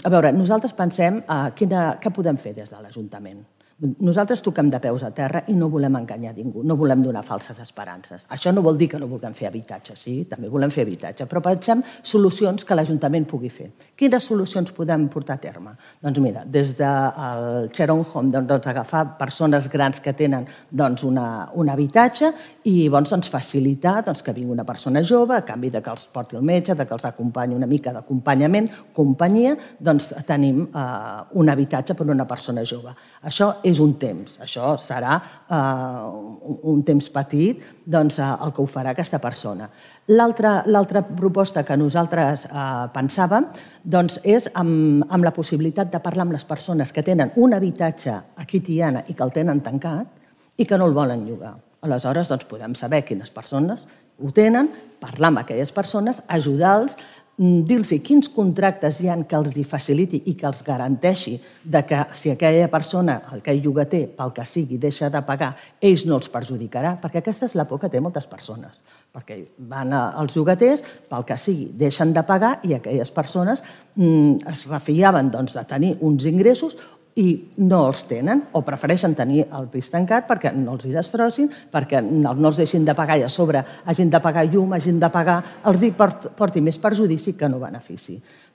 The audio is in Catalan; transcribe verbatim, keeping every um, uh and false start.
a veure, nosaltres pensem què podem fer des de l'Ajuntament. Nosaltres toquem de peus a terra i no volem enganyar ningú, no volem donar falses esperances. Això no vol dir que no vulguem fer habitatge, sí, també volem fer habitatge, però pensem solucions que l'Ajuntament pugui fer. Quines solucions podem portar a terme? Doncs mira, des del Sharon Home, agafar persones grans que tenen un habitatge i facilitar que vingui una persona jove, a canvi que els porti el metge, que els acompanyi una mica d'acompanyament, companyia, doncs tenim un habitatge per a una persona jove. Això és un temps, això serà un temps petit el que ho farà aquesta persona. L'altra proposta que nosaltres pensàvem és amb la possibilitat de parlar amb les persones que tenen un habitatge aquí a Tiana i que el tenen tancat i que no el volen llogar. Aleshores podem saber quines persones ho tenen, parlar amb aquelles persones, ajudar-los, dir-los quins contractes hi ha que els faciliti i que els garanteixi que si aquella persona, aquell llogater, pel que sigui, deixa de pagar, ells no els perjudicarà, perquè aquesta és la por que té moltes persones, perquè van als llogaters, pel que sigui, deixen de pagar i aquelles persones es refiaven de tenir uns ingressos i no els tenen o prefereixen tenir el pis tancat perquè no els hi destrossin, perquè no els deixin de pagar i a sobre hagin de pagar llum, hagin de pagar, els porti més perjudici que no benefici.